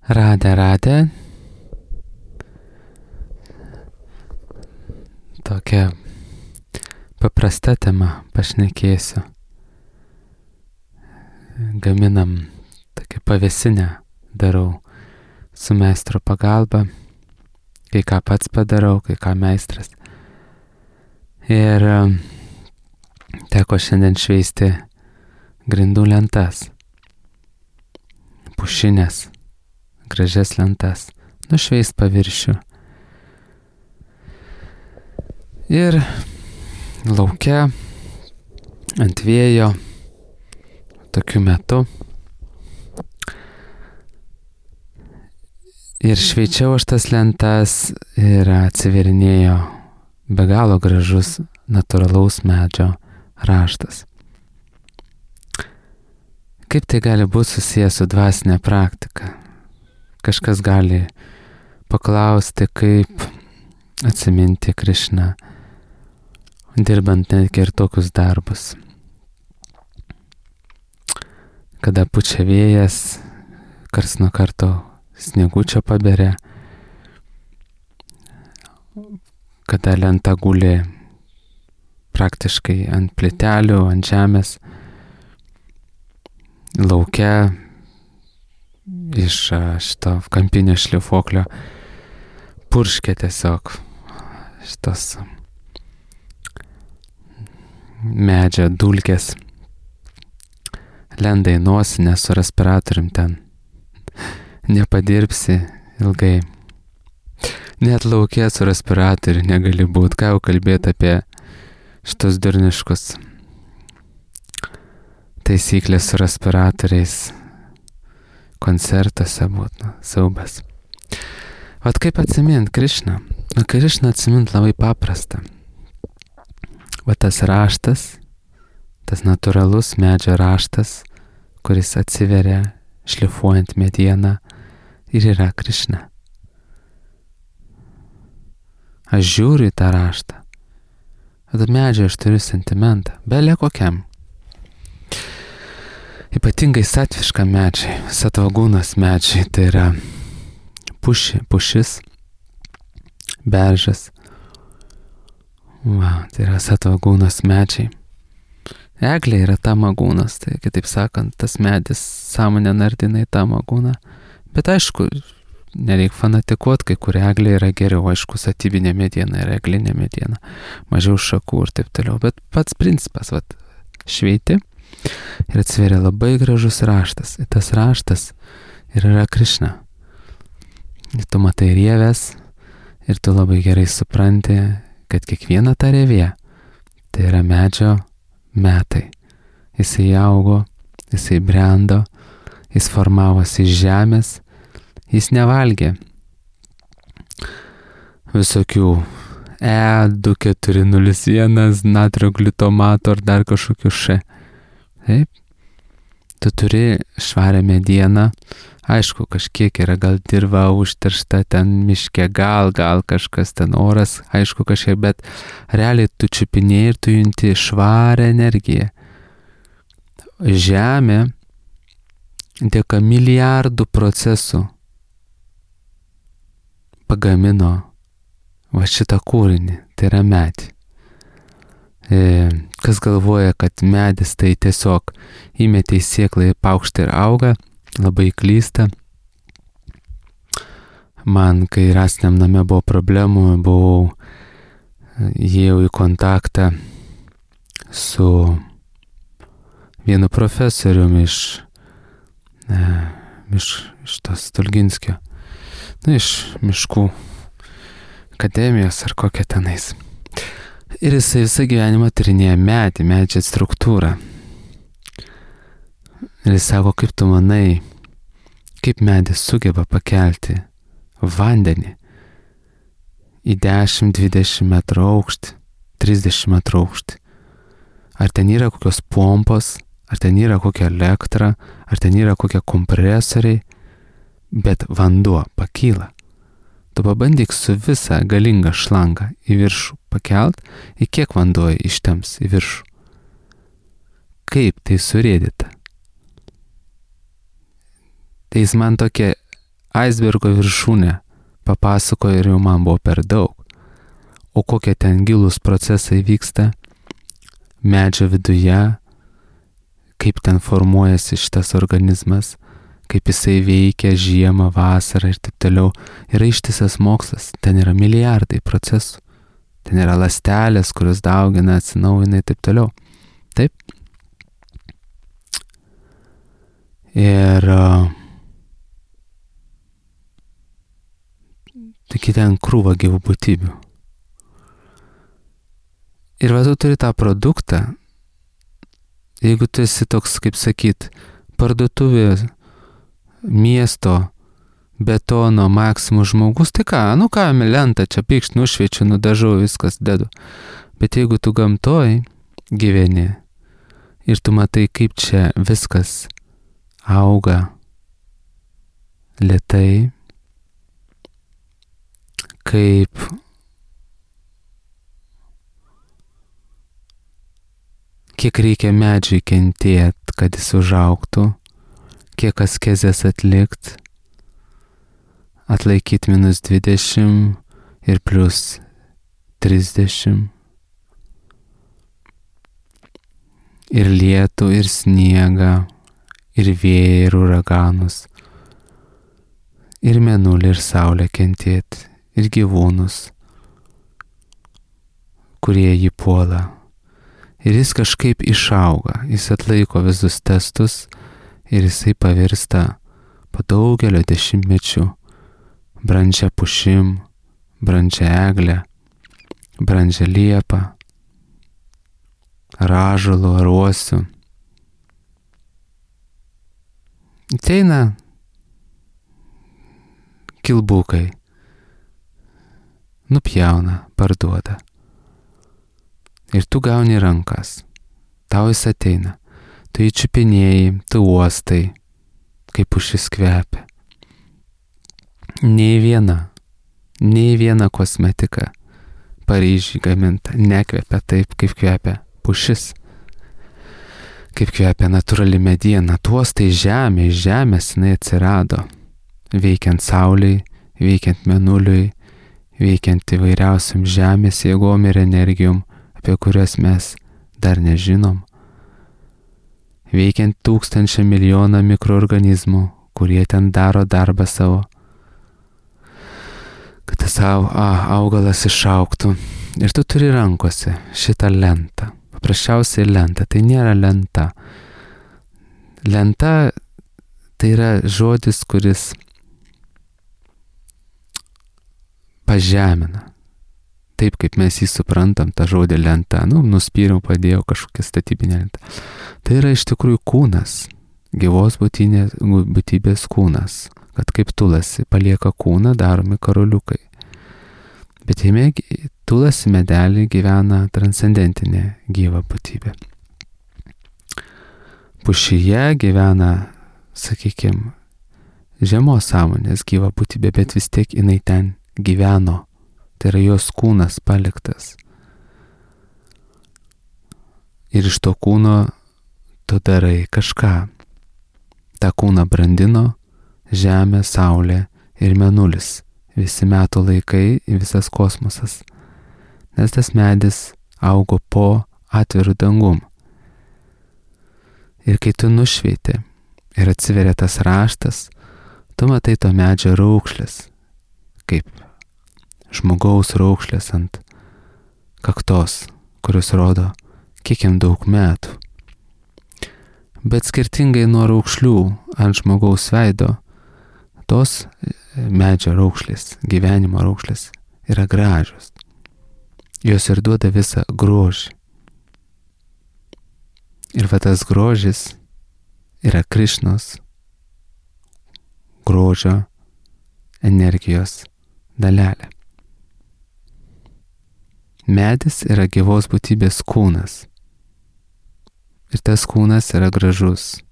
Radę. Tokia paprasta tema pašnekėsiu. Gaminam tokią pavėsinę, darau su meistro pagalba. Kai ką pats padarau, kai ką meistras. Ir teko šiandien šveisti grindų lentas. Pušinės, gražias lentas. Nušveist paviršių. Ir lauke ant vėjo tokiu metu. Ir šveičiau aš tas lentas ir atsiverinėjo be galo gražus natūralaus medžio raštas. Kaip tai gali būti susijęs su dvasinė praktika? Kažkas gali paklausti, kaip atsiminti Krišną, dirbant netgi ir tokius darbus. Kada pučia vėjas, karts nuo karto sniegučio paberia, kada lenta guli praktiškai ant plytelių, ant žemės, lauke iš šito kampinio šlifuoklio purškia tiesiog šitos medžio dulkės, lenda į nosinę su respiratorium ten. Nepadirbsi ilgai. Net lauke su respiratoriu negali būti. Ką jau kalbėti apie šitos durniškus taisyklės su respiratoriais koncertuose būtų siaubas. Vat kaip atsimint Krišną? Krišną atsimint labai paprasta. Va tas raštas, tas natūralus medžio raštas, kuris atsiveria šlifuojant medieną ir yra Krišna. Aš žiūriu į tą raštą. Vat medžio aš turiu sentimentą, belė kokiam. Ypatingai satviškam medžiai, satvagūnas medžiai, tai yra pušis, beržas. Tai yra satvagūnas medžiai. Eglė yra tamagūnas, tai kitaip sakant, tas medis sąmonę nardina į tamagūną. Bet aišku, nereik fanatikuoti, kai kur eglė yra geriau, aišku, statybinė mediena yra eglinė mediena, mažiau šakų ir taip toliau. Bet pats principas, šveiti ir atsiveria labai gražus raštas. Ir tas raštas yra Krišna. Ir tu matai rievės ir tu labai gerai supranti, kad kiekviena ta rievė tai yra medžio metai. Jisai augo, jisai brendo, jis formavosi iš žemės, jis nevalgė visokių E2401, natrio glutamato ar dar kažkokių Taip, tu turi švarę medieną. Aišku, kažkiek yra gal dirva užteršta ten miške, gal kažkas ten oras, aišku kažkiek, bet realiai tu čiupinėjai ir tu junti švarę energiją. Žemė dėka milijardų procesų pagamino va šitą kūrinį, tai yra medį. Kas galvoja, kad medis tai tiesiog įmetė į sėklą į paukštį ir auga, labai klysta. Man, kai rastiniam name buvo problemų, įėjau į kontaktą su vienu profesoriumi iš tos Stulginskio, iš miškų akademijos ar kokia tenais. Ir jisai visą gyvenimą tyrinėja medžio struktūrą. Ir jis sako, kaip tu manai, kaip medis sugeba pakelti vandenį į 10-20 metrų aukštį, 30 metrų aukštį. Ar ten yra kokios pompos, ar ten yra kokia elektra, ar ten yra kokie kompresoriai, bet vanduo pakyla. Tu pabandyk su visą galingą šlangą į viršų pakelt, į kiek vanduo ištems į viršų. Kaip tai surėdyta? Tai jis man tokia aisbergo viršūnę papasakojo ir jau man buvo per daug. O kokie ten gilūs procesai vyksta medžio viduje, kaip ten formuojasi šitas organizmas, kaip jisai veikia žiemą, vasarą ir taip toliau. Yra ištisas mokslas, ten yra milijardai procesų. Ten yra ląstelės, kurios daugina, atsinaujina ir taip toliau. Taip. Ir taigi ten krūva gyvų būtybių. Ir va tu turi tą produktą, jeigu tu esi toks, kaip sakyt, parduotuvė miesto betono maksimų žmogus, tai ką, lentą čia pykšt, nušviečiu, nudažau, viskas dedu. Bet jeigu tu gamtoj gyveni ir tu matai, kaip čia viskas auga lėtai, kaip kiek reikia medžiui kentėt, kad jis užaugtų, kiek askezės atlikt, atlaikyti -20 ir +30. Ir lietų, ir sniegą, ir vėją, ir uraganus, ir mėnulį, ir saulę kentėt, ir gyvūnus, kurie jį puola. Ir jis kažkaip išauga, jis atlaiko visus testus ir jisai pavirsta po daugelio dešimtmečių brandžia pušim, brandžia eglė, brandžia liepa, ražalu ar uosiu. Ateina kilbukai, nupjauna, parduoda. Ir tu gauni rankas, tau jis ateina, tu jį čiupinėjai, tu uostai, kaip pušis kvepia. Nei viena kosmetika Paryžiui gaminta nekvepia taip, kaip kvepia pušis, kaip kvepia natūrali mediena. Tu uostai žemė, iš žemės jinai atsirado, veikiant saulei, veikiant mėnuliui, veikiant įvairiausiam žemės jėgom ir energijom, apie kurias mes dar nežinom, veikiant 1000 milijoną mikroorganizmų, kurie ten daro darbą savo, kad tas augalas išaugtų. Ir tu turi rankose šitą lentą, paprasčiausiai lentą, tai nėra lenta. Lenta tai yra žodis, kuris pažemina. Taip, kaip mes jį suprantam, tą žodį lenta, nuspyriau, padėjau kažkokią statybinę lentą. Tai yra iš tikrųjų kūnas, gyvos būtybės kūnas, kad kaip tulasi palieka kūną, daromi karoliukai. Bet jame tulasi medelį gyvena transcendentinė gyva būtybė. Pušyje gyvena, sakykime, žemos sąmonės gyva būtybė, bet vis tiek jinai ten gyveno. Tai yra jos kūnas paliktas. Ir iš to kūno tu darai kažką. Ta kūną brandino žemė, saulė ir mėnulis. Visi metų laikai ir visas kosmosas. Nes tas medis augo po atvirų dangum. Ir kai tu nušveiti ir atsiveria tas raštas, tu matai to medžio raukšlės, kaip žmogaus raukšlės ant kaktos, kurios rodo, kiek jam daug metų. Bet skirtingai nuo raukšlių ant žmogaus veido, tos medžio raukšlės, gyvenimo raukšlės yra gražios. Jos ir duoda visą grožį. Ir va tas grožis yra Krišnos grožio energijos dalelė. Medis yra gyvos būtybės kūnas. Ir tas kūnas yra gražus.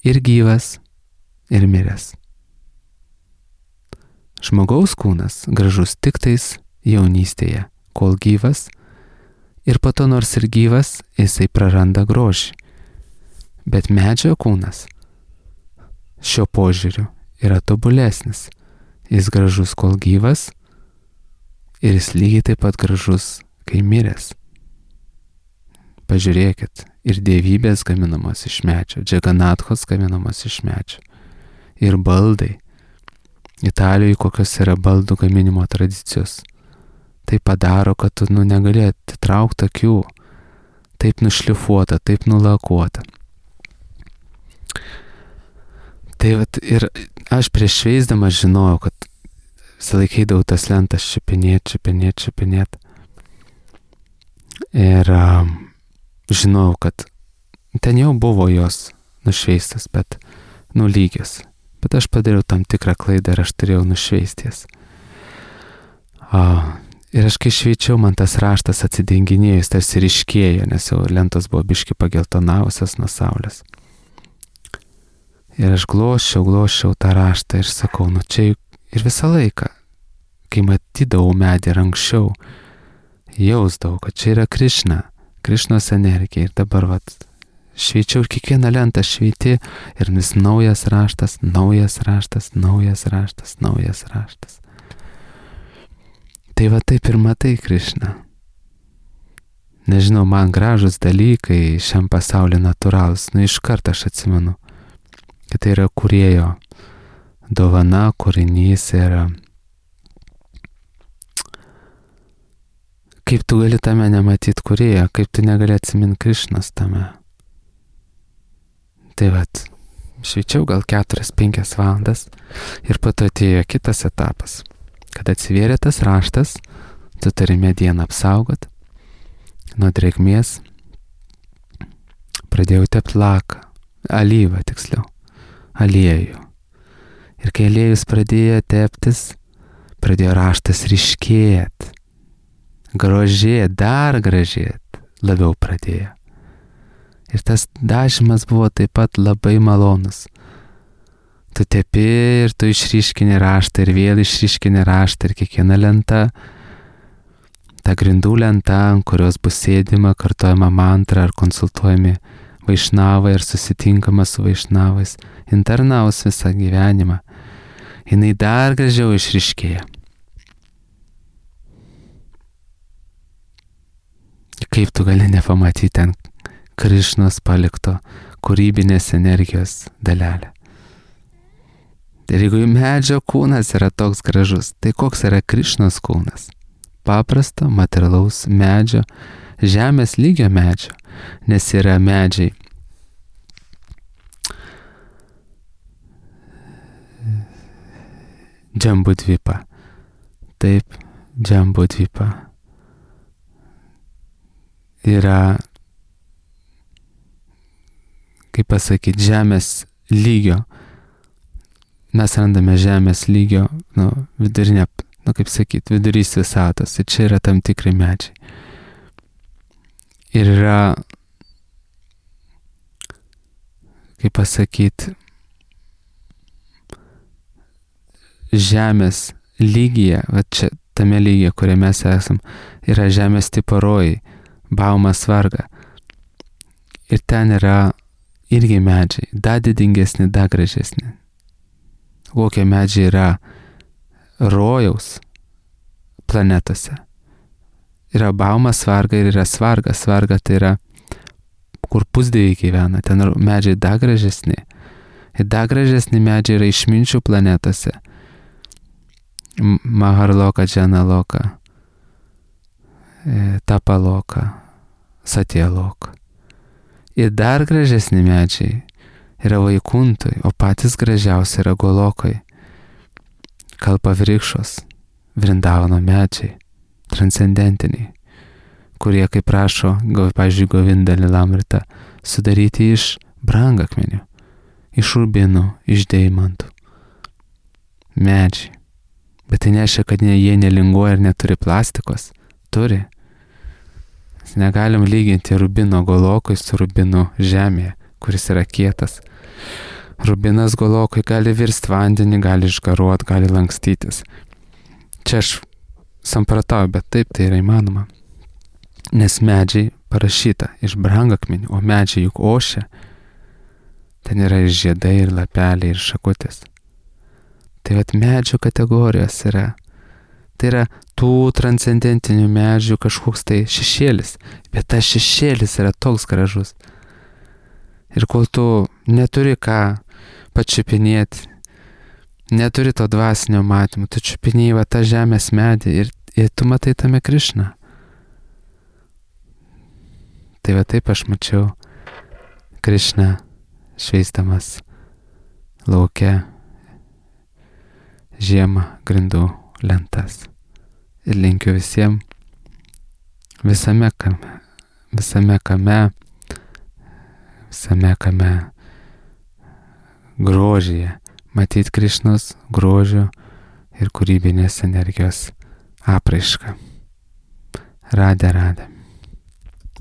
Ir gyvas, ir miręs. Žmogaus kūnas gražus tik tais jaunystėje, kol gyvas, ir po to nors ir gyvas, jisai praranda grožį. Bet medžio kūnas šiuo požiūriu yra tobulesnis. Jis gražus, kol gyvas, ir jis lygiai taip pat gražus, kai miręs. Pažiūrėkit, ir dievybės gaminamos iš medžio, džeganathos gaminamos iš medžio. Ir baldai. Italijoje kokios yra baldų gaminimo tradicijos. Tai padaro, kad tu negali atitraukti akių. Taip nušlifuota, taip nulakuota. Tai vat, ir aš prieš šveisdamas žinojau, kad silaikydavau tas lentas čiupinėt. Ir žinojau, kad ten jau buvo jos nušveistas, bet lygios. Bet aš padariau tam tikrą klaidą ir aš turėjau nušveisties. Ir aš kai šveičiau, man tas raštas atsidenginėjus, tarsi ryškėjo, nes jau lentos buvo biški pageltonavusios nuo saulės. Ir aš gloščiau tą raštą ir sakau, čia ir visą laiką, kai matydavau medį ir anksčiau, jausdavau, kad čia yra Krišnos energija. Ir dabar šveičiau ir kiekvieną lentą šveiti ir vis naujas raštas. Tai taip ir matai Krišną. Nežinau, man gražus dalykai šiam pasauliu natūralus. Iš karto aš atsimenu, kad tai yra kūrėjo dovana, kūrinys ir kaip tu gali tame nematyti kūrėjo, kaip tu negali atsiminti Krišnos tame. Tai šveičiau gal 4-5 valandas ir po to atėjo kitas etapas. Kad atsivėrė tas raštas, tu turi medieną apsaugot nuo drėgmės. Pradėjau tepti laką, alyvą tiksliau, aliejų. Ir kai aliejus pradėjo teptis, pradėjo raštas ryškėti. Dar gražėt, labiau pradėjo. Ir tas dažymas buvo taip pat labai malonus. Tu tepi ir tu išryškini raštą ir vėl išryškini raštą ir kiekviena lenta, ta grindų lenta, ant kurios bus sėdima, kartojama mantra ar konsultuojami vaišnavai ir susitinkama su vaišnavais, internaus visą gyvenimą. Jinai dar gražiau išryškėja. Kaip tu gali nepamatyti ten Krišnos palikto kūrybinės energijos dalelę. Ir jeigu medžio kūnas yra toks gražus, tai koks yra Krišnos kūnas? Paprasto, materialaus medžio, žemės lygio medžio, nes yra medžiai. Džambudvipa. Taip, Džambudvipa. Yra, kaip pasakyti, žemės lygio. Mes randame žemės lygio, vidurinę, kaip sakyti, vidurys visatos. Ir čia yra tam tikri medžiai. Ir yra, kaip pasakyti, žemės lygyje, čia tame lygyje, kuriame mes esam, yra žemės tipo rojai. Baumas varga. Ir ten yra irgi medžiai, dar didingesni, dar gražesni. Kokie medžiai yra rojaus planetose. Yra baumas varga ir yra svarga. Svarga tai yra, kur pusdieviai gyvena. Ten medžiai dar gražesni. Ir dar gražesni medžiai yra išminčių planetose. Maharloka, Džanaloka. Tapaloka, Satyaloka. Ir dar gražesni medžiai yra Vaikuntoj, o patys gražiausi yra Golokai. Kalpavrikšos, Vrindavano medžiai, transcendentiniai, kurie, kaip prašo, pavyzdžiui, Govinda Lilamrita, sudaryti iš brangakmenių, iš rubinų, iš deimantų. Medžiai. Bet tai nereiškia, kad jie nelinguoja ir neturi plastikos. Turi. Negalim lyginti rubino Golokui su rubinu žemėje, kuris yra kietas. Rubinas Golokui gali virsti vandenį, gali išgaruoti, gali lankstytis. Čia aš samprotauju, bet taip tai yra įmanoma. Nes medžiai parašyta iš brangakmenių, o medžiai juk ošia. Ten yra ir žiedai, ir lapeliai, ir šakutės. Tai vat medžių kategorijos yra. Tai yra tų transcendentinių medžių kažkoks tai šešėlis. Bet tas šešėlis yra toks gražus. Ir kol tu neturi ką pačiupinėti, neturi to dvasinio matymo, tu čiupinėjai va tą žemės medį ir tu matai tame Krišną. Tai va taip aš mačiau Krišną šveisdamas lauke žiemą grindų lentas. Ir linkiu visiems visame kame grožyje matyti Krišnos grožio ir kūrybinės energijos apraišką. Radė.